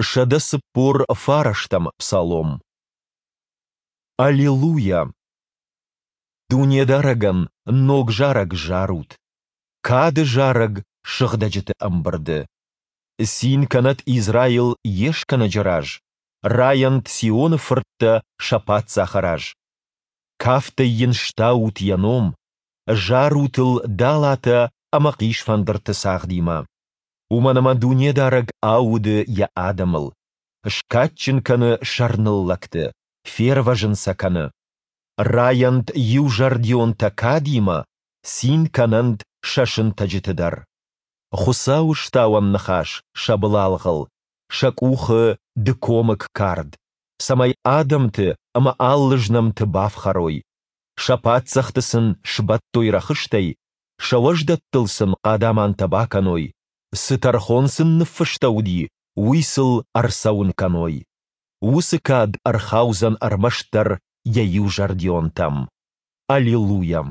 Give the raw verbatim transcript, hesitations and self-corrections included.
Сӕдӕ цыппор фарӕстӕм псалом. Аллилуйа! Дунедарӕгӕн ног зарӕг зарут, кады зарӕг сыгъдӕджыты ӕмбырды. Цин кӕнӕд Израил йе Скӕнӕджы раз, райӕнт Сионы фырттӕ сӕ Паддзахы раз. Кафтӕй йын стаут йӕ ном, зарут ыл далатӕ ӕмӕ хъисфӕндырты цагъдимӕ. Уымӕн ӕмӕ Дунедарӕг ауды Йӕ адӕмыл, скадджын кӕны сӕрныллӕгты, фервӕзын сӕ кӕны. Райӕнт иузӕрдионтӕ кадимӕ, цин кӕнӕнт сӕ сынтӕджыты дӕр. Хуыцауы стауӕн ныхас сӕ былалгъыл, сӕ къухы дыкомыг кард, цӕмӕй адӕмты ӕмӕ алы знӕмты бафхӕрой, сӕ паддзӕхты сын сбӕттой рӕхыстӕй, сӕ уӕздӕттыл сын хъадамантӕ бакӕной, цы тӕрхон сын ныффыстӕуыди, уый сыл ӕрцӕуын кӕной. Уыцы кад ӕрхаудзӕн ӕрмӕстдӕр йӕ иузӕрдионтӕм. Аллилуйа!